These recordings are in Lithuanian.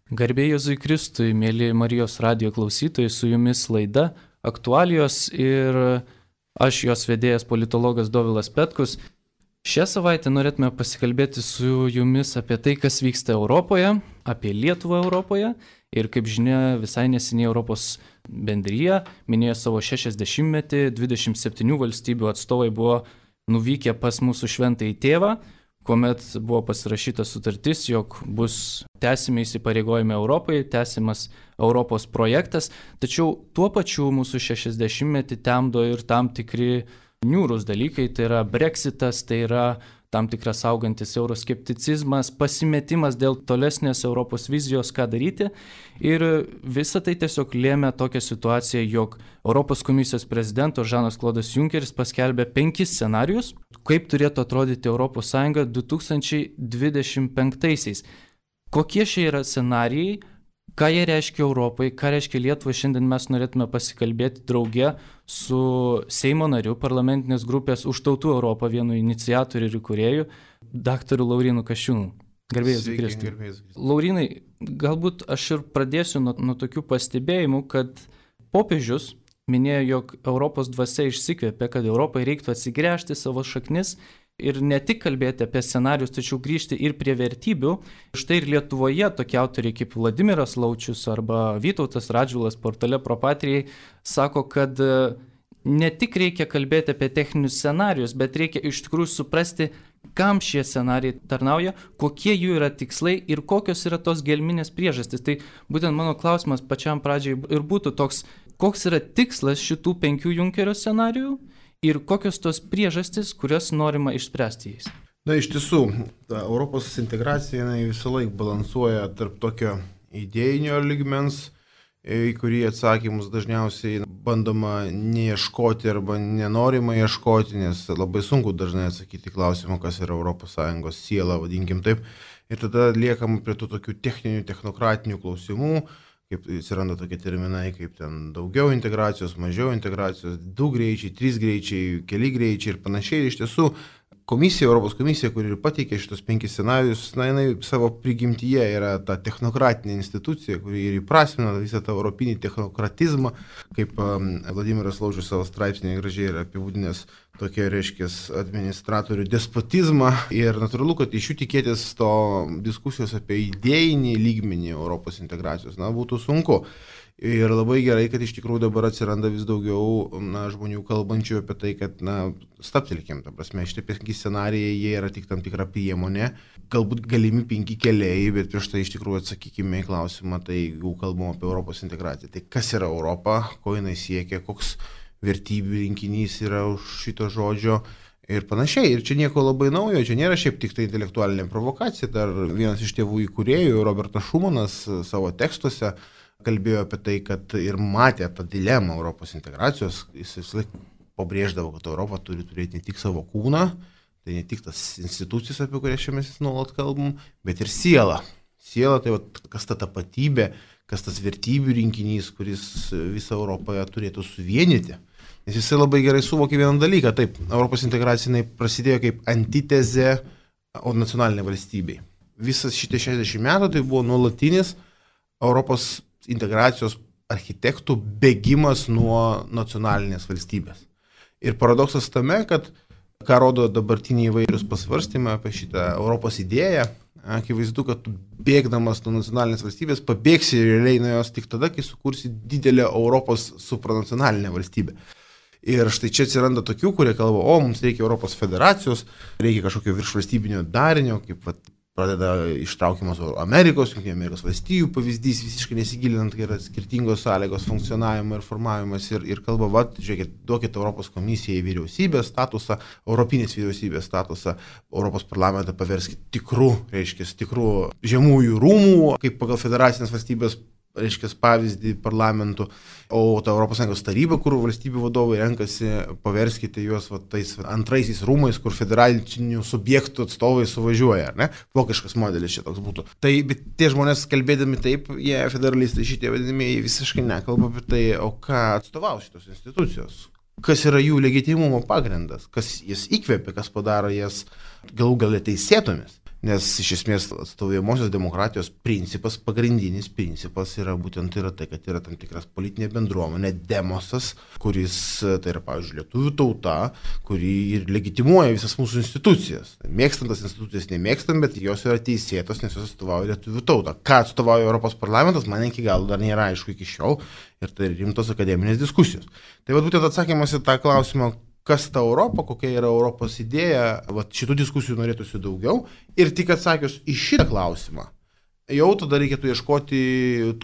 Garbė Jėzui Kristui, mėly Marijos radijo klausytojai, su jumis laida Aktualijos ir aš jos vedėjas politologas Dovilas Petkus. Šią savaitę norėtume pasikalbėti su jumis apie tai, kas vyksta Europoje, apie Lietuvą Europoje ir kaip žinia, visai neseniai Europos bendrija minėjo savo 60-metį, 27 valstybių atstovai buvo nuvykę pas mūsų šventąjį tėvą, kuomet buvo pasirašyta sutartis, jog bus tęsimi įsipareigojimai Europai, tęsimas Europos projektas, tačiau tuo pačiu mūsų 60-metį temdo ir tam tikri niūrūs dalykai, tai yra Brexitas, tai yra tam tikras augantis euroskepticizmas, pasimetimas dėl tolesnės Europos vizijos, ką daryti. Ir visa tai tiesiog lėmė tokią situaciją, jog Europos komisijos prezidento Žanas Klodas Junkeris paskelbė 5 scenarijus, kaip turėtų atrodyti Europos Sąjunga 2025-aisiais. Kokie šie yra scenarijai, ką jie reiškia Europai, ką reiškia Lietuvai, šiandien mes norėtume pasikalbėti drauge su Seimo nariu parlamentinės grupės Už tautų Europą, vienu iniciatorių ir įkūrėju, daktaru Laurynu Kasčiūnu. Garbė Jėzui Kristui. Laurynai, galbūt aš ir pradėsiu nuo tokių pastebėjimų, kad popiežius minėjo, jog Europos dvasia išsikvėpė, kad Europai reiktų atsigręžti savo šaknis ir ne tik kalbėti apie scenarius, tačiau grįžti ir prie vertybių. Štai ir Lietuvoje tokie autoriai kaip Vladimiras Laučius arba Vytautas Radžvilas portale Propatrijai sako, kad ne tik reikia kalbėti apie techninius scenarius, bet reikia iš tikrųjų suprasti, kam šie scenarijai tarnauja, kokie jų yra tikslai ir kokios yra tos gelminės priežastys. Tai būtent mano klausimas pačiam pradžiai ir būtų toks, koks yra tikslas šitų 5 Junkerio scenarijų ir kokios tos priežastys, kurias norima išspręsti jais. Na, iš tiesų, ta Europos integracija visą laiką balansuoja tarp tokio idėjinio lygmens, į kurį atsakymus dažniausiai bandoma neieškoti arba nenorima ieškoti, nes labai sunku dažnai atsakyti klausimą, kas yra ES siela, vadinkim taip. Ir tada liekam prie tų tokių techninių, technokratinių klausimų, kaip atsiranda tokie terminai, kaip ten daugiau integracijos, mažiau integracijos, 2 greičiai, 3 greičiai, keli greičiai ir panašiai. Ir iš tiesų, Europos komisija, kuri ir pateikė šitos 5 scenarius, jinai savo prigimtyje yra ta technokratinė institucija, kuri ir įprasmina visą tą europinį technokratizmą, kaip Vladimiras Laučius savo straipsnėje gražiai yra apibūdinęs tokia, reiškia, administratorių despotizmą. Ir natūralu, kad iš jų tikėtis to diskusijos apie idėjinį lygmenį Europos integracijos, būtų sunku. Ir labai gerai, kad iš tikrųjų dabar atsiranda vis daugiau žmonių kalbančių apie tai, kad stabtelkim, ta prasme, šitie 5 scenarijai, jie yra tik tam tikra priemonė, galbūt galimi 5 keliai, bet prieš tai iš tikrųjų atsakykime į klausimą, tai jeigu kalbam apie Europos integraciją, tai kas yra Europa, ko jinai siekia, koks vertybių rinkinys yra už šito žodžio ir panašiai. Ir čia nieko labai naujo, čia nėra šiaip tik tai intelektualinė provokacija, dar vienas iš tėvų įkūrėjų, Robertas Šumanas, savo tekstuose kalbėjo apie tai, kad ir matė tą dilemą Europos integracijos, jis vis laik pabrėždavo, kad Europa turi turėti ne tik savo kūną, tai ne tik tas institucijas, apie kurias čia mes nuolat kalbam, bet ir sielą. Siela tai kas ta tapatybė, kas tas vertybių rinkinys, kuris visą Europoje turėtų suvienyti. Nes jisai labai gerai suvokė vieną dalyką, taip, Europos integracija prasidėjo kaip antitezė nacionalinė valstybei. Visas šitie 60 metų tai buvo nuolatinis Europos integracijos architektų bėgimas nuo nacionalinės valstybės. Ir paradoksas tame, kad ką rodo dabartiniai įvairius pasvarstymai apie šitą Europos idėją, akivaizdu, kad tu bėgdamas nuo nacionalinės valstybės pabėgsi realiai nuo jos tik tada, kai sukursi didelę Europos supranacionalinę valstybę. Ir štai čia atsiranda tokių, kurie kalba, mums reikia Europos federacijos, reikia kažkokio viršvalstybinio darinio, kaip pradeda ištraukiamas Amerikos, Junktinių Amerikos valstijų pavyzdys, visiškai nesigilinant, kai yra skirtingos sąlygos funkcionavimo ir formavimas ir kalba, žiūrėkit, duokit Europos komisijai vyriausybės statusą, Europinės vyriausybės statusą, Europos parlamentą paverskit tikrų žemųjų rūmų, kaip pagal federacinės valstybės reiškia pavyzdį parlamentų, o ta ES taryba, kur valstybių vadovai renkasi, paverskite juos tais antraisiais rūmais, kur federalinių subjektų atstovai suvažiuoja, ar ne? Vokiškas modelis šitoks būtų. Tai, bet tie žmonės kalbėdami taip, jie federalistai šitie vadinamieji visiškai nekalba apie tai, o ką atstovau šitos institucijos. Kas yra jų legitimumo pagrindas, kas jas įkvėpia, kas padaro jas galų gale teisėtomis. Nes iš esmės atstovaujamosios demokratijos principas, pagrindinis principas yra būtent tai, kad yra tam tikras politinė bendruomenė, demosas, kuris, tai yra, pavyzdžiui, lietuvių tauta, kuri ir legitimuoja visas mūsų institucijas. Mėgstant tas institucijas nemėgstant, bet jos yra teisėtos, nes jos atstovauja lietuvių tautą. Ką atstovauja Europos parlamentas, man iki galo dar nėra aišku iki šiol ir tai rimtos akademinės diskusijos. Tai būtent atsakymas į tą klausimą, kas ta Europa, kokia yra Europos idėja, šitų diskusijų norėtųsi daugiau. Ir tik atsakius į šitą klausimą, jau tada reikėtų ieškoti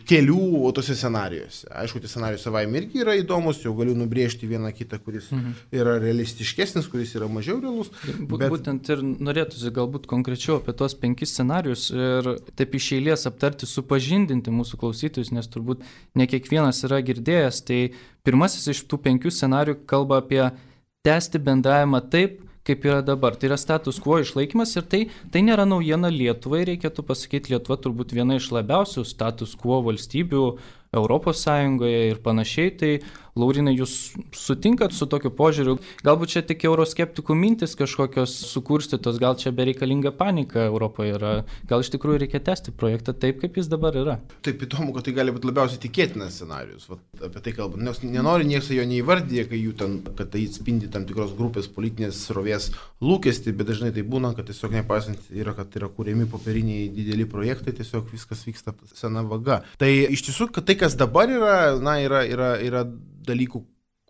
kelių tose scenarijuose. Aišku, tie scenarijai savaime irgi yra įdomus, jau galiu nubrėžti vieną kitą, kuris yra realistiškesnis, kuris yra mažiau realus. Būtent ir norėtųsi galbūt konkrečiau apie tos 5 scenarijus ir taip iš eilės aptarti, supažindinti mūsų klausytojus, nes turbūt ne kiekvienas yra girdėjęs. Tai pirmasis iš tų 5 scenarijų kalba apie tęsti bendravimą taip, kaip yra dabar. Tai yra status quo išlaikymas ir tai nėra naujiena Lietuvai, reikėtų pasakyti, Lietuva turbūt viena iš labiausių status quo valstybių Europos Sąjungoje ir panašiai. Tai Laurinai, jūs sutinkat su tokiu požiūriu? Galbūt čia tik euroskeptikų mintis kažkokios sukurstytos, gal čia bereikalinga panika Europoje yra, gal iš tikrųjų reikia tęsti projektą taip, kaip jis dabar yra? Taip įdomu, kad tai gali būti labiausiai tikėtinas scenarius, apie tai kalbant, nes nenori niekas jo neįvardyje, kad tai atspindi tam tikros grupės politinės srovės lūkestį, bet dažnai tai būna, kad tiesiog nepaisant yra, kad yra kūrėmi popieriniai dideli projektai, tiesiog viskas vyksta sena vaga. Tai iš tiesų, kad tai, kas dabar yra dalykų,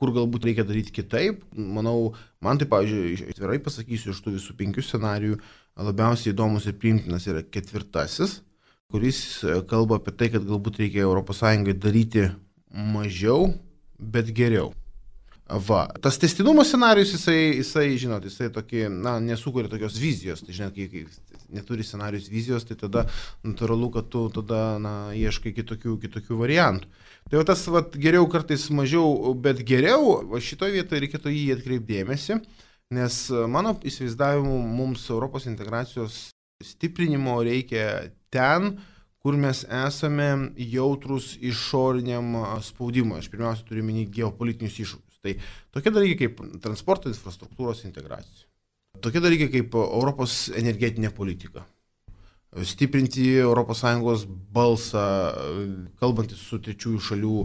kur galbūt reikia daryti kitaip. Manau, man tai, pavyzdžiui, atvirai pasakysiu, iš tų visų 5 scenarijų labiausiai įdomus ir priimtinas yra 4, kuris kalba apie tai, kad galbūt reikia ES daryti mažiau, bet geriau. Tas tęstinumo scenarijus, jisai tokį, nesukuria tokios vizijos, tai žinot, kai neturi scenarijus vizijos, tai tada natūralu, kad tu tada ieškai kitokių variantų. Tai tas geriau kartais mažiau, bet geriau, šitoje vietoje reikėtų jį atkreipdėmėsi, nes mano įsivaizdavimu mums Europos integracijos stiprinimo reikia ten, kur mes esame jautrus išoriniam spaudimui. Aš pirmiausia turiu minėti geopolitinius iššūkius. Tai tokie dalykai kaip transporto infrastruktūros integracija. Tokie dalykai kaip Europos energetinė politika. Stiprinti ES balsą, kalbantis su trečiųjų šalių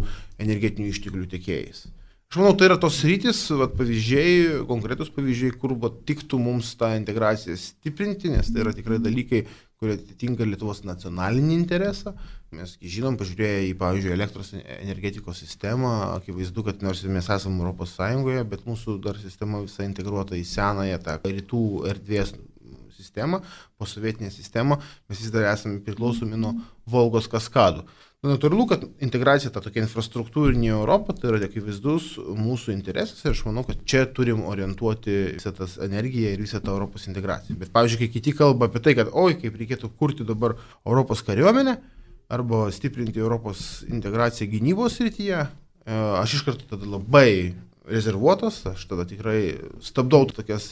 energetinių išteklių tiekėjais. Aš manau, tai yra tos sritis, pavyzdžiai, konkretus pavyzdžiai, kur tiktų mums tą integraciją stiprinti, nes tai yra tikrai dalykai, kurie atitinka Lietuvos nacionalinį interesą. Mes žinom, pažiūrėję į, pavyzdžiui, elektros energetikos sistemą, akivaizdu, kad nors mes esame Europos Sąjungoje, bet mūsų dar sistema visai integruota į senąją tą rytų erdvės sistemą, posovietinę sistemą, mes vis dar esame priklausomi nuo Volgos kaskadų. Natūralu, kad integracija ta tokia infrastruktūrinė Europa, tai yra akivaizdus mūsų interesas ir aš manau, kad čia turim orientuoti visą tas energiją ir visą tą Europos integraciją. Bet, pavyzdžiui, kai kiti kalba apie tai, kad kaip reikėtų kurti dabar Europos kariuomenę arba stiprinti Europos integraciją gynybos srityje, aš iš karto tada labai rezervuotas, aš tada tikrai stabdau tokias,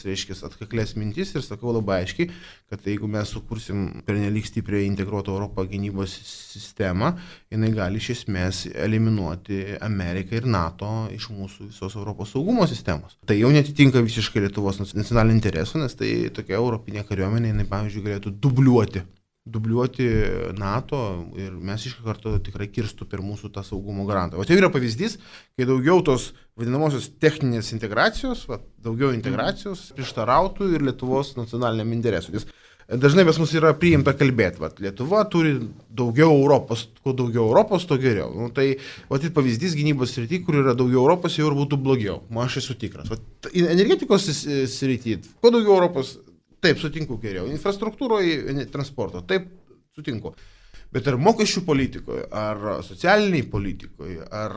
atkaklės mintis ir sakau labai aiškiai, kad jeigu mes sukursim pernelyg stipriai integruotą Europą gynybos sistemą, jinai gali iš esmės eliminuoti Ameriką ir NATO iš mūsų visos Europos saugumo sistemos. Tai jau netitinka visiškai Lietuvos nacionalinio interesų, nes tai tokia europinė kariuomenė, jinai, pavyzdžiui, galėtų dubliuoti NATO ir mes iš karto tikrai kirstų per mūsų tą saugumo garantą. O tai yra pavyzdys, kai daugiau tos vadinamosios techninės integracijos, daugiau integracijos prieštarautų ir Lietuvos nacionaliniam interesui. Nes dažnai pas mus yra priimta kalbėti, Lietuva turi daugiau Europos, kuo daugiau Europos, to geriau. Tai pavyzdys gynybos srity, kur yra daugiau Europos, jau ir būtų blogiau. Aš esu tikras. Energetikos srity, kuo daugiau Europos, taip, sutinku geriau. Infrastruktūroje, transporto, taip, sutinku. Bet ar mokesčių politikoje, ar socialiniai politikoje, ar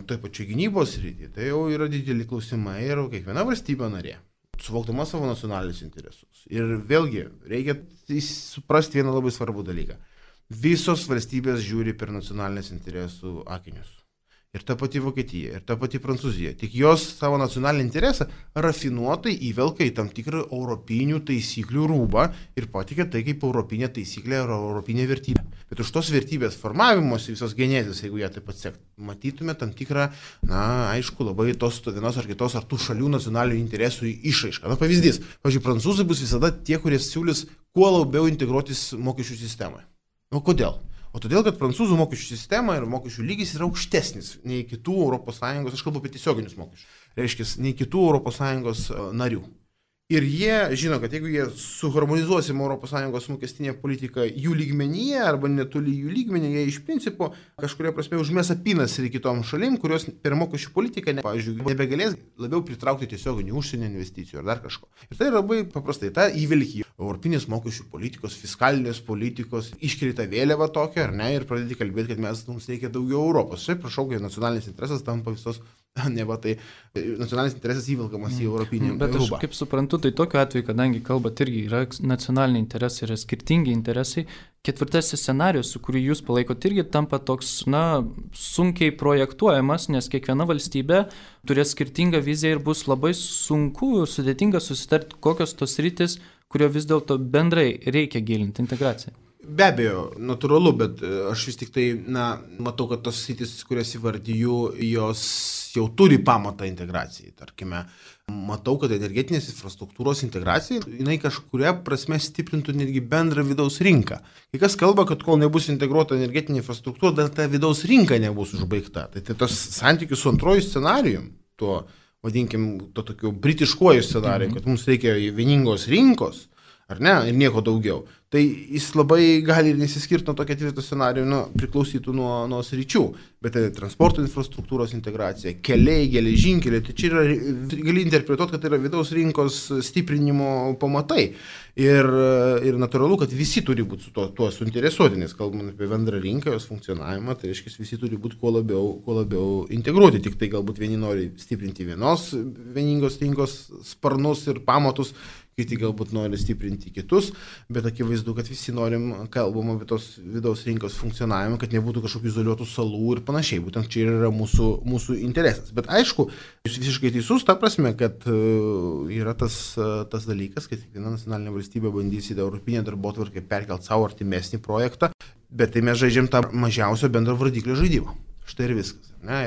taip pačiai gynybos srityje, tai jau yra dideli klausimai ir kiekviena valstybė narė, suvokdama savo nacionalinius interesus. Ir vėlgi, reikia suprasti vieną labai svarbų dalyką. Visos valstybės žiūri per nacionalinės interesų akinius. Ir ta pati Vokietija, ir ta pati Prancūzija. Tik jos savo nacionalinį interesą rafinuotai įvelka į tam tikrą europinių taisyklių rūbą ir patikė tai kaip europinė taisyklė ar europinė vertybė. Bet už tos vertybės formavimosi visos genezės, jeigu ją taip pat sekti, matytume tam tikrą, aišku, labai tos vienos ar kitos ar tų šalių nacionalinių interesų išraišką. Pavyzdys, pavyzdžiui, prancūzai bus visada tie, kurie siūlys kuo labiau integruotis mokesčių sistemoje. O kodėl? O todėl, kad prancūzų mokesčių sistema ir mokesčių lygis yra aukštesnis nei kitų ES, aš kalbu apie tiesioginius mokesčius, reiškia, nei kitų ES narių. Ir jie žino, kad jeigu jie suharmonizuosim ES mokestinę politiką jų lygmenyje arba netoli jų lygmenį, jie iš principo kažkuria prasme užmes apynas ir kitom šalim, kurios per mokesčių politiką, pavyzdžiui, nebegalės labiau pritraukti tiesioginių užsienio investicijų ar dar kažko. Ir tai labai paprastai, ta įvilki europinės mokesčių politikos, fiskalinės politikos, iškelia tą vėliavą tokią, ar ne, ir pradėti kalbėti, kad mums reikia daugiau Europos. Šiaip prašau, kad nacionalinis interesas tampa visos, neva tai nacionalinis interesas įvilkamas į europinį rūbą. Bet aš kaip suprantu, tai tokiu atveju, kadangi kalbat irgi yra nacionaliniai interesai, yra skirtingi interesai, ketvirtasis scenarius, su kuriuo jūs palaikote, irgi tampa toks, sunkiai projektuojamas, nes kiekviena valstybė turės skirtingą viziją ir bus labai sunku, sudėtinga susitarti, kokios tos rytis, kurio vis dėlto bendrai reikia gilinti integraciją. Be abejo, natūralu, bet aš vis tik tai, matau, kad tos sritis, kurias įvardyju, jos jau turi pamatą integracijai. Tarkime, matau, kad energetinės infrastruktūros integracija, jinai kažkuria prasme stiprintų netgi bendrą vidaus rinką. Kai kas kalba, kad kol nebus integruota energetinė infrastruktūra, dar ta vidaus rinka nebus užbaigta. Tai tos santykius su antroju scenarijum, tuo, vadinkim, to tokiu britiškuoju scenarijum, kad mums reikia vieningos rinkos, ar ne, ir nieko daugiau. Tai jis labai gali ir nesiskirti nuo to ketvirto scenarijų, priklausytų nuo sričių. Bet tai transporto infrastruktūros integracija, keliai, geležinkeliai, tai čia yra, gali interpretuoti, kad tai yra vidaus rinkos stiprinimo pamatai. Ir natūralu, kad visi turi būti su tuo suinteresuoti, nes kalbant apie bendrą rinką, jos funkcionavimą, tai reiškia, visi turi būti kuo labiau integruoti. Tik tai galbūt vieni nori stiprinti vienos vieningos rinkos sparnus ir pamatus, kiti galbūt nori stiprinti kitus, bet akivaizdu, kad visi kalbam apie tos vidaus rinkos funkcionavimą, kad nebūtų kažkokių izoliuotų salų ir panašiai. Būtent čia yra mūsų interesas. Bet aišku, jūs visiškai teisus, ta prasme, kad yra tas dalykas, kad kiekviena nacionalinė valstybė bandys į europinę darbotvarkę perkelti savo artimesnį projektą, bet tai mes žaidžiam tą mažiausio bendro vardiklio žaidimą. Štai ir viskas. Ne?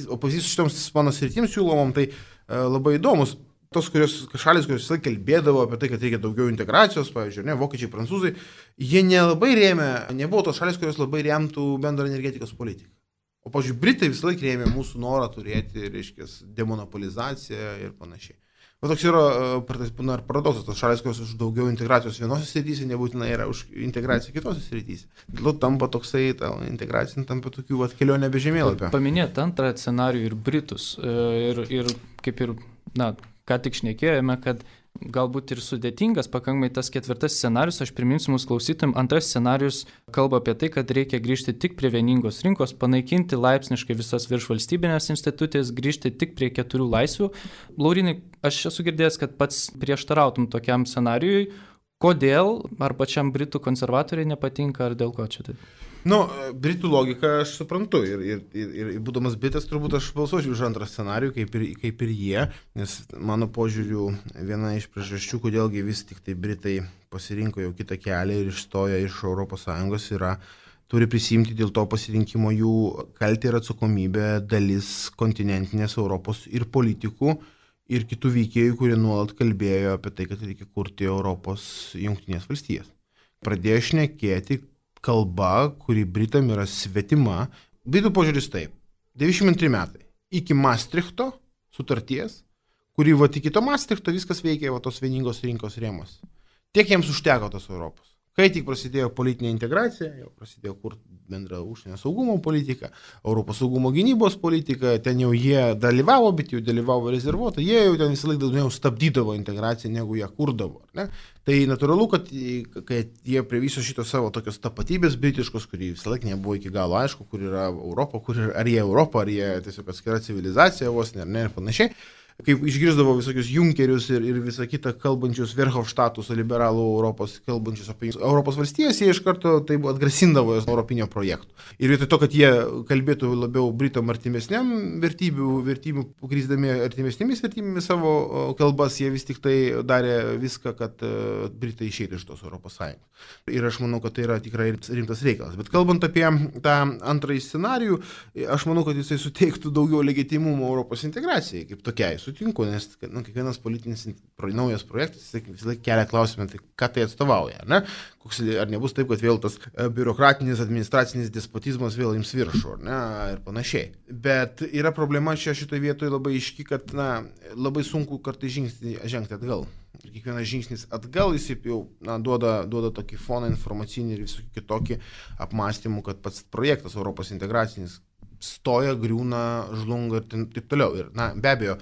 O pavyzdys šitoms mano sritims siūlomom, tai labai įdomus. Tos šalis, kurios visą kalbėdavo apie tai, kad reikia daugiau integracijos, pavyzdžiui, vokiečiai, prancūzai, jie nelabai nebuvo tos šalis, kurios labai remtų bendrą energetikos politiką. O, pavyzdžiui, Britai visą laiką rėmė mūsų norą turėti, reiškia, demonopolizaciją ir panašiai. O toks yra paradoksas, tos šalis, kurios už daugiau integracijos vienose srityse, nebūtinai yra už integraciją kitose srityse. Dėl tampa toksai, ta integracija tampa tokių kelionė be žemėlapio. Paminėt antrą scenarijų ir Britus. Ir kaip ir, ką tik šnekėjome, kad galbūt ir sudėtingas pakankamai tas ketvirtas scenarius, aš priminsiu mūsų klausytojams, antras scenarius kalba apie tai, kad reikia grįžti tik prie vieningos rinkos, panaikinti laipsniškai visas viršvalstybinės institucijas, grįžti tik prie 4 laisvių. Laurinai, aš esu girdėjęs, kad pats prieštarautum tokiam scenarijui. Kodėl? Ar pačiam Britų konservatoriai nepatinka, ar dėl ko čia tai? Britų logiką aš suprantu ir būdamas Britas turbūt aš balsuosiu už antrą scenarijų, kaip ir jie, nes mano požiūriu viena iš priežasčių, kodėlgi vis tik tai Britai pasirinko jau kitą kelią ir išstojo iš ES turi prisimti dėl to pasirinkimo jų kaltę ir atsakomybę dalis kontinentinės Europos ir politikų ir kitų veikėjų, kurie nuolat kalbėjo apie tai, kad reikia kurti Europos jungtinės valstijas. Pradėjo šnekėti kalba, kuri Britam yra svetima. Britų požiūris taip. 92 metai. Iki Maastrichto sutarties, kuri iki to Maastrichto viskas veikia tos vieningos rinkos rėmos. Tiek jiems užteko tos Europos. Kai tik prasidėjo politinė integracija, jau prasidėjo kurti bendrą užsienio saugumo politiką, Europos saugumo gynybos politiką, ten jau jie dalyvavo, bet jau dalyvavo rezervuotai, jie jau ten visą laiką daugiau stabdydavo integraciją, negu ją kurdavo. Ne? Tai natūralu, kad jie prie viso šito savo tokios tapatybės britiškos, kuri visą laiką nebuvo iki galo aišku, kur yra Europa, ar jie Europa, ar jie tiesiog atskira civilizacija vos, ar ne, ir panašiai. Kaip išgirsdavo visokius Junkerius ir visą kitą kalbančius Verhofstadtus, liberalų Europos, kalbančius apie Europos valstijas, jie iš karto taip atgrasindavo jos europinio projektų. Ir vietoj to, kad jie kalbėtų labiau Britom artimesniam vertybių, grįsdami artimesnėmis vertybėmis savo kalbas, jie vis tik tai darė viską, kad Britai išeitų iš tos Europos Sąjungos. Ir aš manau, kad tai yra tikrai rimtas reikalas. Bet kalbant apie tą antrąjį scenarijų, aš manau, kad jisai suteiktų daugiau legitimumo Europos integracijai kaip tokiai. sutinku, nes kiekvienas politinis naujas projektas visą laiką kelia klausimą, tai ką tai atstovauja, ne? Ar nebus taip, kad vėl tas biurokratinis, administracinis despotizmas vėl ims viršų, ne? Ir panašiai. Bet yra problema šitoje vietoje labai aiški, kad labai sunku kartais žingsnį žengti atgal. Ir kiekvienas žingsnis atgal jis jau duoda tokį foną informacinį ir visokį kitokį apmąstymų, kad pats projektas Europos integracinis stoja, griūna, žlunga ir taip toliau. Ir be abejo,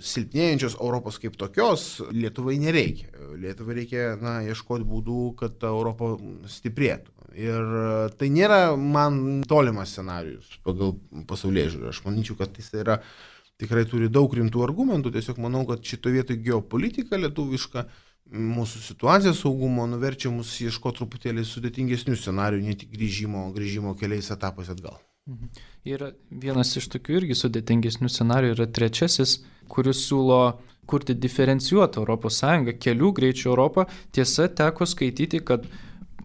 silpnėjančios Europos kaip tokios Lietuvai nereikia. Lietuvai reikia ieškoti būdų, kad ta Europa stiprėtų. Ir tai nėra man tolimas scenarijus pagal pasaulėžiūrą. Aš manyčiau, kad jis yra tikrai turi daug rimtų argumentų, tiesiog manau, kad šitoje vietoje geopolitika lietuviška, mūsų situacija saugumo nuverčia mus ieškoti truputėlį sudėtingesnių scenarijų, ne tik grįžimo keliais etapais atgal. Ir vienas iš tokių irgi sudėtingesnių scenarijų yra trečiasis, kuris siūlo kurti diferencijuotą Europos Sąjungą, kelių greičių Europą. Tiesa, teko skaityti, kad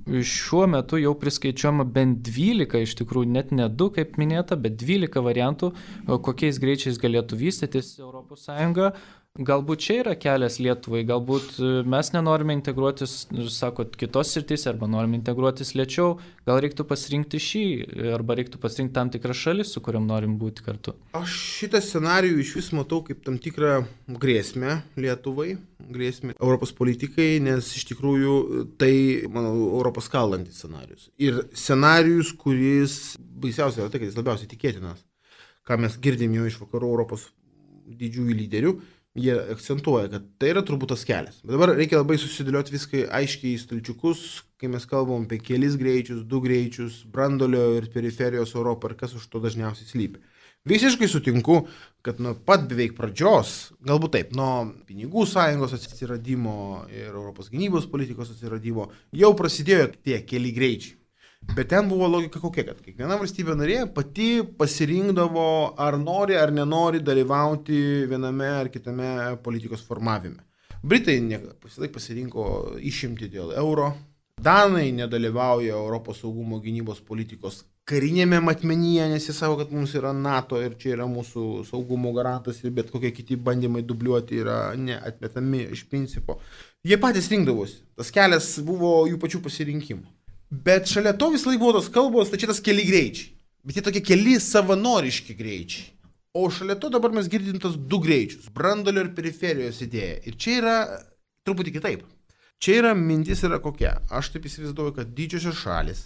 šiuo metu jau priskaičiuojama bent 12, iš tikrųjų net ne 2, kaip minėta, bet 12 variantų, kokiais greičiais galėtų vystytis Europos Sąjunga. Galbūt čia yra kelias Lietuvai, galbūt mes nenorime integruotis, sakot, kitos sritys, arba norime integruotis lėčiau, gal reiktų pasirinkti šį, arba reiktų pasirinkti tam tikrą šalį, su kuriam norim būti kartu. Aš šitą scenarijų iš vis matau kaip tam tikrą grėsmę Lietuvai, grėsmę Europos politikai, nes iš tikrųjų tai, manau, Europos skaldantis scenarijus. Ir scenarijus, kuris baisiausia yra tai, kad jis labiausiai tikėtinas, ką mes girdim jau iš vakarų Europos didžiųjų lyderių. Jie akcentuoja, kad tai yra turbūt tas kelias. Bet dabar reikia labai susidėlioti viską aiškiai į stalčiukus, kai mes kalbam apie kelis greičius, 2 greičius, brandolio ir periferijos Europą ir kas už to dažniausiai slypi. Visiškai sutinku, kad nuo pat beveik pradžios, galbūt taip, nuo pinigų sąjungos atsiradimo ir Europos gynybos politikos atsiradimo jau prasidėjo tie keli greičiai. Bet ten buvo logika kokia, kad kiekviena valstybė narė pati pasirinkdavo, ar nori ar nenori dalyvauti viename ar kitame politikos formavime. Britai pasirinko išimti dėl euro, Danai nedalyvauja Europos saugumo gynybos politikos karinėme matmenyje, nes jie savo, kad mums yra NATO ir čia yra mūsų saugumo garantas ir bet kokie kiti bandymai dubliuoti yra neatmetami iš principo. Jie patys rinkdavosi, tas kelias buvo jų pačių pasirinkimų. Bet šalia to vis laik buvo tos kalbos, tai čia tas keli greičiai. Bet jie tokie keli savanoriški greičiai. O šalia to dabar mes girdim tas 2 greičius. Brandolio ir periferijos idėja. Ir čia yra truputį kitaip. Čia yra mintis yra kokia. Aš taip įsivaizduoju, kad didžiosios šalis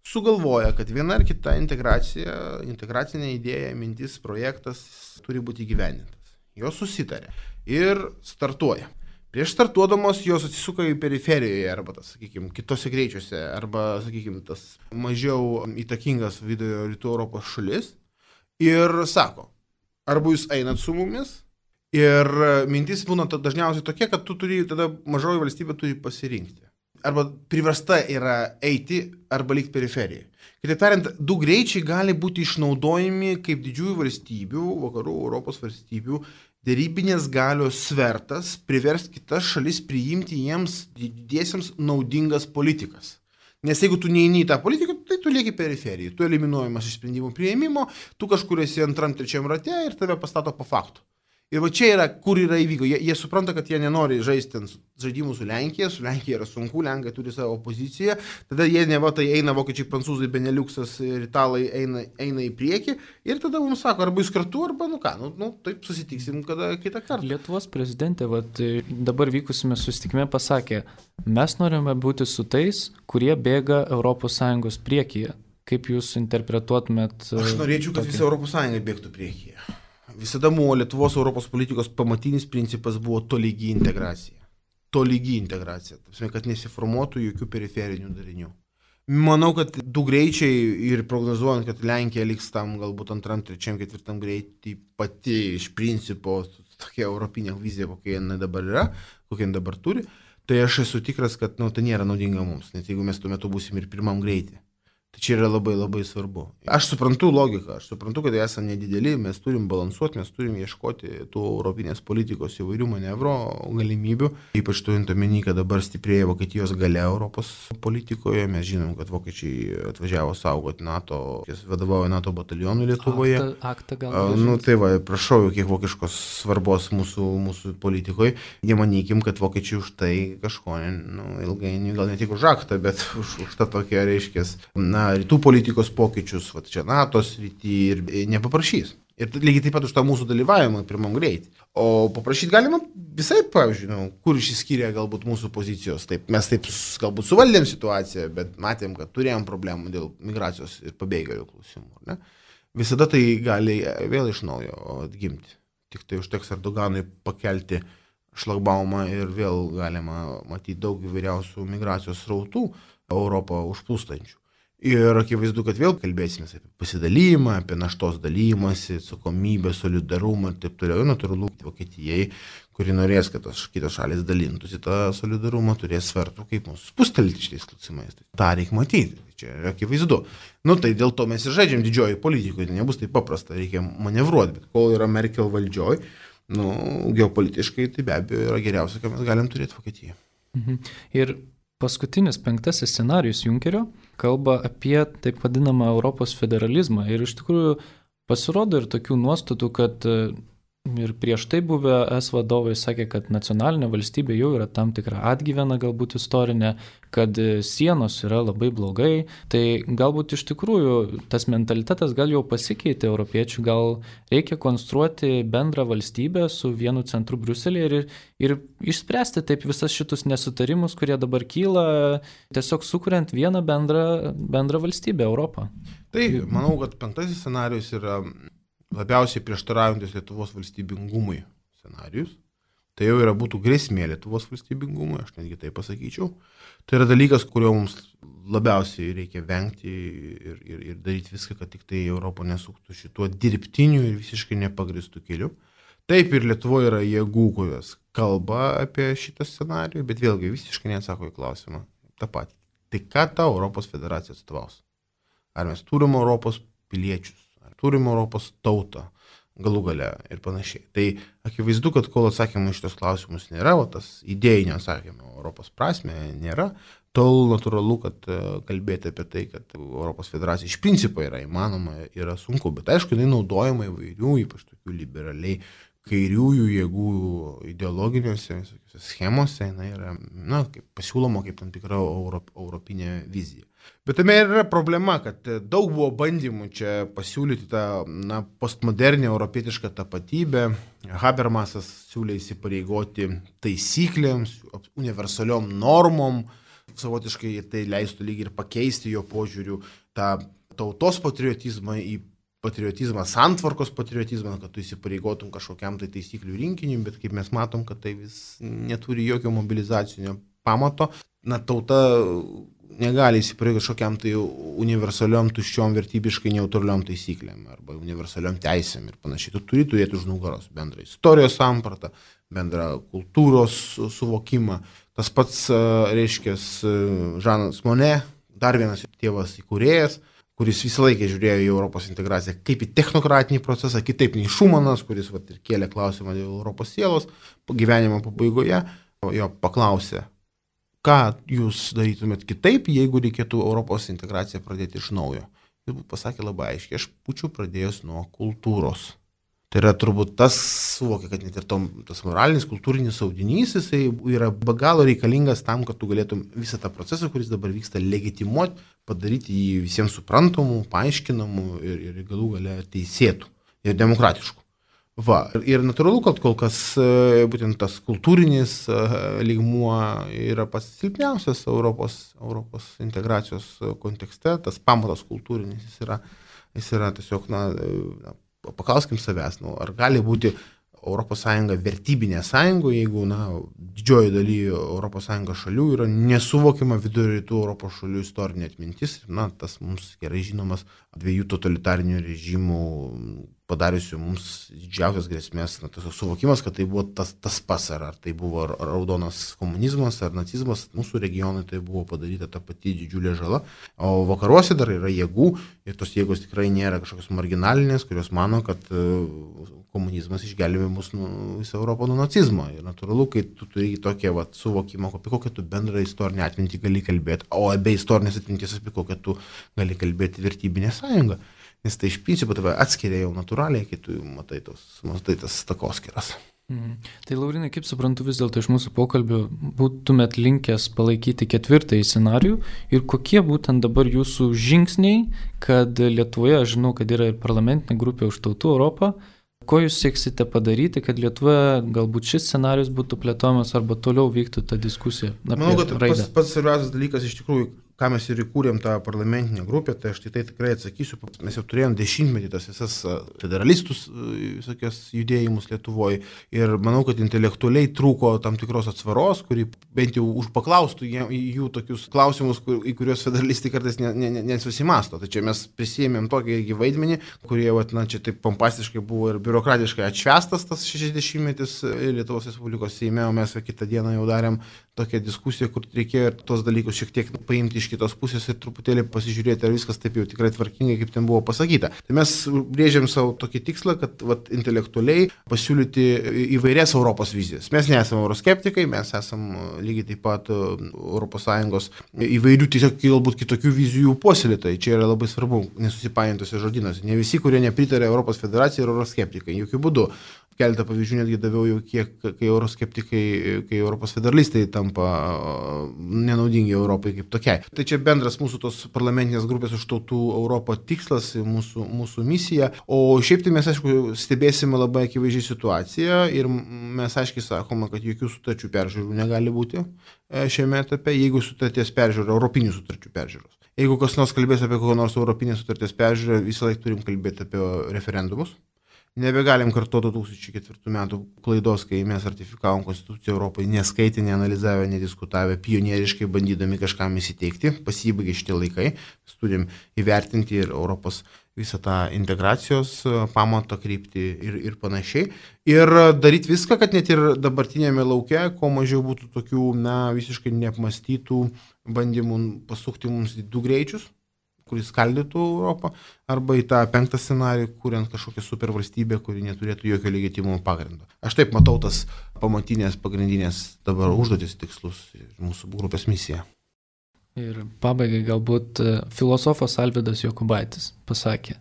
sugalvoja, kad viena ar kita integracinė idėja, mintis, projektas turi būti įgyvendintas. Jos susitarė ir startuoja. Prieš startuodamos jos atsisuka į periferijoje arba, sakykime, kitose greičiuose arba, sakykime, tas mažiau įtakingas vidurio rytų Europos šalis ir sako, arba jūs einat su mumis ir mintis būna dažniausiai tokia, kad tu turi, tada mažoji valstybė turi pasirinkti. Arba priversta yra eiti arba likti periferijoje. Kitaip tariant, 2 greičiai gali būti išnaudojami kaip didžiųjų valstybių, vakarų Europos valstybių, dėrybinės galios svertas privers kitas šalis priimti jiems didiesiems naudingas politikas. Nes jeigu tu neini į tą politiką, tai tu lieki periferijai, tu eliminuojamas iš sprendimų priėmimo, tu kažkur esi 2-3 rate ir tave pastato po faktų. Ir va čia yra, kur yra įvyko. Jie supranta, kad jie nenori žaisti žaidimų su Lenkija yra sunku, Lenkai turi savo poziciją, tada jie neva tai eina vokiečiai, prancūzai, Beneliuksas ir italai eina į priekį ir tada mums sako, arba jūs kartu, arba taip susitiksim kitą kartą. Lietuvos prezidentė dabar vykusime susitikime pasakė, mes norime būti su tais, kurie bėga ES priekyje. Kaip jūs interpretuotumėt? Aš norėčiau, kad visa ES bėgtų priekyje. Visada buvo Lietuvos Europos politikos pamatinis principas buvo tolygi integracija. Tolygi integracija, kad nesiformuotų jokių periferinių darinių. Manau, kad 2 greičiai ir prognozuojant, kad Lenkija liks tam galbūt 2, 3, 4 greitį pati iš principo tokia europinė vizija, kokia jinai dabar yra, kokia jinai dabar turi, tai aš esu tikras, kad tai nėra naudinga mums, net jeigu mes tuo metu būsim ir 1 greitį. Tai čia yra labai labai svarbu. Aš suprantu logiką, aš suprantu, kad esame nedideli, mes turim balansuoti, mes turim ieškoti tų europinės politikos įvairių manevro galimybių. Ypač turint omeny, kad dabar stiprėja Vokietijos galia Europos politikoje. Mes žinom, kad vokiečiai atvažiavo saugoti NATO, jis vadovauja NATO batalionui Lietuvoje. Aktą gal. Tai va, prašau, kiek vokiškos svarbos mūsų politikoje. Nemanykim, kad vokiečiai už tai kažko, ilgainiui gal ne tik už aktą, bet už tą tokią, reiškia, rytų politikos pokyčius, va čia NATO srity ir nepaprašys. Ir lygiai taip pat už tą mūsų dalyvavimą pirmam greitį. O paprašyti galima visai, pavyzdžiui, kur išsiskyrė galbūt mūsų pozicijos. Taip, mes taip galbūt suvaldėm situaciją, bet matėm, kad turėjom problemų dėl migracijos ir pabėgėlių klausimų. Ne? Visada tai gali vėl iš naujo atgimti. Tik tai užteks Erdoganui pakelti šlagbaumą ir vėl galima matyti daug įvairiausių migracijos srautų Europą užplūstančių. Ir akivaizdu, kad vėl kalbėsime apie pasidalymą, apie naštos dalymąsi, atsakomybę, solidarumą ir taip toliau. Natūralu, Vokietijai, kuri norės, kad kitos šalis dalintųsi tą solidarumą, turės svertų, kaip mūsų spustelti šitais klausimais. Ta reikia matyti, čia yra akivaizdu. Tai dėl to mes ir žaidžiam didžioji politikoje, tai nebus taip paprasta, reikia manevruoti, bet kol yra Merkel valdžioj, geopolitiškai tai be abejo yra geriausia, ką mes galim turėti Vokietijoje. Ir paskutinis 5 scenarijus Junkerio kalba apie taip vadinamą Europos federalizmą ir iš tikrųjų pasirodo ir tokių nuostatų, kad ir prieš tai buvę vadovai sakė, kad nacionalinė valstybė jau yra tam tikra atgyvena galbūt istorinė, kad sienos yra labai blogai, tai galbūt iš tikrųjų tas mentalitetas gal jau pasikeitė europiečių, gal reikia konstruoti bendrą valstybę su vienu centru Briuselėje ir išspręsti taip visas šitus nesutarimus, kurie dabar kyla, tiesiog sukuriant vieną bendrą valstybę Europą. Tai manau, kad 5 scenarijus yra labiausiai prieštaraujantis Lietuvos valstybingumui scenarijus. Tai jau būtų grėsmė Lietuvos valstybingumui, aš netgi tai pasakyčiau. Tai yra dalykas, kurio mums labiausiai reikia vengti ir daryti viską, kad tik tai Europą nesuktų šituo dirbtiniu ir visiškai nepagristų keliu. Taip ir Lietuvoje yra jėgų, kurios kalba apie šitą scenarijų, bet vėlgi visiškai neatsako į klausimą. Ta pati. Tai ką ta Europos federacija atstovaus? Ar mes turim Europos piliečius? Turim Europos tautą, galų gale ir panašiai. Tai akivaizdu, kad kol atsakymų iš tos klausimus nėra, tas idėjinio atsakymo Europos prasme nėra, tol natūralu, kad kalbėti apie tai, kad Europos federacija iš principo yra įmanoma, yra sunku. Bet aišku, jinai naudojama įvairių, ypač tokių liberaliai kairiųjų jėgų ideologiniuose schemose, jinai yra kaip pasiūloma kaip tam tikra europinė vizija. Bet tame yra problema, kad daug buvo bandymų čia pasiūlyti tą postmodernę europietišką tapatybę. Habermasas siūlė įsipareigoti taisyklėms, universaliom normom, savotiškai tai leistų lygiai ir pakeisti jo požiūrių tą tautos patriotizmą į patriotizmą, santvarkos patriotizmą, kad tu įsipareigotum kažkokiam tai taisyklių rinkiniui, bet kaip mes matom, kad tai vis neturi jokio mobilizacinio pamato. Tauta negali įsipareigoti kažkokiam tai universaliom, tuščiom, vertybiškai neutraliom taisyklėm arba universaliom teisėm ir panašiai. Tu turi turėti už nugaros bendrą istorijos sampratą, bendrą kultūros suvokimą. Tas pats, reiškia, Žanas Monė, dar vienas tėvas įkūrėjas, kuris visą laiką žiūrėjo į Europos integraciją kaip į technokratinį procesą, kitaip nei Šumanas, kuris ir kėlė klausimą dėl Europos sielos, gyvenimo pabaigoje jo paklausė, ką jūs darytumėt kitaip, jeigu reikėtų Europos integraciją pradėti iš naujo. Jis pasakė labai aiškiai, aš būčiau pradėjęs nuo kultūros. Tai yra turbūt tas suvokia, kad net ir tas moralinis, kultūrinis audinys, jisai yra be galo reikalingas tam, kad tu galėtum visą tą procesą, kuris dabar vyksta, legitimuoti, padaryti jį visiems suprantamų, paaiškinamų ir galų gale teisėtų ir demokratiškų. Ir natūralu, kad kol kas būtent tas kultūrinis lygmuo yra pats silpniausias Europos integracijos kontekste, tas pamatas kultūrinis jis yra tiesiog, paklauskim savęs, ar gali būti ES vertybinė sąjunga, jeigu didžioji daly ES šalių yra nesuvokiama vidurio rytų Europos šalių istorinė atmintis, tas mums gerai žinomas dviejų totalitarinių režimų padariusių mums didžiausias grėsmės, tas suvokimas, kad tai buvo tas pas, ar tai buvo raudonas komunizmas ar nacizmas, mūsų regionui tai buvo padaryta ta pati didžiulė žala, o vakaruose dar yra jėgų ir tos jėgos tikrai nėra kažkokios marginalinės, kurios mano, kad komunizmas išgelbėjo mus visą Europą nuo nacizmo. Ir natūralu, kai tu turi tokią suvokimą, apie kokią tu bendrą istorinę atmintį gali kalbėti, o be istorinės atminties apie kokią tu gali kalbėti vertybinę sąjungą. Nes tai iš principo tave atskiria jau natūraliai, kai tu matai tas takoskiras. Tai Laurinai, kaip suprantu, vis dėlto iš mūsų pokalbio būtumėt linkęs palaikyti ketvirtąjį scenarijų ir kokie būtent dabar jūsų žingsniai, kad Lietuvoje, aš žinau, kad yra ir parlamentinė grupė už tautų Europą, ko jūs sieksite padaryti, kad Lietuvoje galbūt šis scenarijus būtų plėtojamas arba toliau vyktų ta diskusija apie raidą? Manau, kad pats svarbiausias dalykas iš tikrųjų, ką mes ir įkūrėm tą parlamentinę grupę, tai aš tai tikrai atsakysiu. Mes jau turėjom 10-metį tas visas federalistus, visokias judėjimus Lietuvoje ir manau, kad intelektualiai trūko tam tikros atsvaros, kuri bent jau paklaustų jų tokius klausimus, į kuriuos federalistai kartais nesusimasto. Tai čia mes prisėmėm tokį irgi vaidmenį, kurie čia taip pompastiškai buvo ir biurokratiškai atšvestas tas 60-metis Lietuvos Respublikos Seime, o mes kitą dieną jau darėm tokią diskusiją, kur reikėjo ir tos dalykus šiek tiek paimti iš kitos pusės ir truputėlį pasižiūrėti, ar viskas taip jau tikrai tvarkingai, kaip ten buvo pasakyta. Tai mes brėžiam savo tokį tikslą, kad intelektualiai pasiūlyti įvairias Europos vizijas. Mes nesame euroskeptikai, mes esame lygiai taip pat ES įvairių tiesiog galbūt kitokių vizijų puoselėtojai. Čia yra labai svarbu nesusipainiantose žodynuose. Ne visi, kurie nepritarė Europos federacijai, yra euroskeptikai. Jokių būdų. Keletą pavyzdžių netgi daviau jau kiek, kai euroskeptikai, kai Europos federalistai tampa nenaudingi Europai kaip tokiai. Tai čia bendras mūsų tos parlamentinės grupės už tautų Europą tikslas, mūsų misija. O šiaip tai mes, aišku, stebėsime labai akivaizdžiai situaciją ir mes aiškiai sakome, kad jokių sutarčių peržiūrų negali būti šiame etape, jeigu sutarties peržiūra, europinių sutarčių peržiūros. Jeigu kas nors kalbės apie kokią nors europinės sutarties peržiūrą, visą laiką turim kalbėti apie referendumus. Nebegalim kartuoti 2004 metų klaidos, kai mes ratifikavom Konstituciją Europai, neskaitė, neanalizavę, nediskutavę, pionieriškai bandydami kažkam įsiteikti, pasibaigė šitie laikai, mes turim įvertinti ir Europos visą tą integracijos pamatą kryptį ir panašiai. Ir daryti viską, kad net ir dabartinėme lauke, kuo mažiau būtų tokių visiškai neapmastytų bandymų pasukti mums į 2 greičius, kuris skaldytų Europą, arba į tą 5 scenarijų, kuriant kažkokią supervalstybę, kuri neturėtų jokio legitimumo pagrindo. Aš taip matau tas pamatinės, pagrindinės dabar užduotis tikslus ir mūsų grupės misija. Ir pabaigai galbūt filosofas Alvydas Jokubaitis pasakė,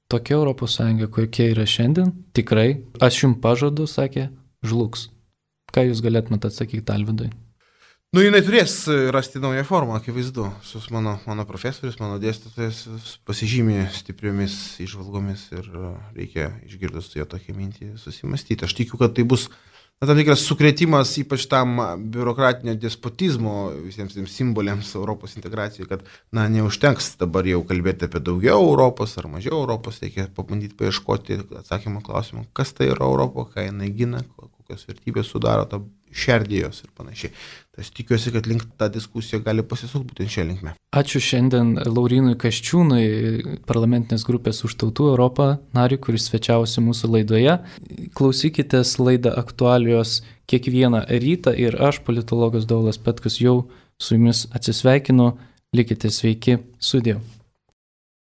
tokia Europos Sąjunga, kokia yra šiandien, tikrai, aš jums pažadu, sakė, žlugs. Ką jūs galėtumėte atsakyti Alvydui? Jinai turės rasti naują formą, akivaizdu. Mano profesorius, mano dėstytojas pasižymė stipriomis įžvalgomis ir reikia išgirdus jo tokią mintį susimastyti. Aš tikiu, kad tai bus tam tikras sukrėtimas ypač tam biurokratinio despotizmo visiems tiems simboliams Europos integracijai, kad neužtenks dabar jau kalbėti apie daugiau Europos ar mažiau Europos, reikia pabandyti paieškoti atsakymą klausimą, kas tai yra Europa, ką jinai gina, kokios vertybės sudaro tą šerdį jos ir panašiai. Tai aš tikiuosi, kad link tą diskusiją gali pasisukti būtent šią linkmę. Ačiū šiandien Laurinui Kasčiūnui, parlamentinės grupės už tautų Europą nariui, kuris svečiavosi mūsų laidoje. Klausykitės laidą Aktualijos kiekvieną rytą ir aš, politologas Dovydas Petkus, jau su jumis atsisveikinu. Likite sveiki, sudie.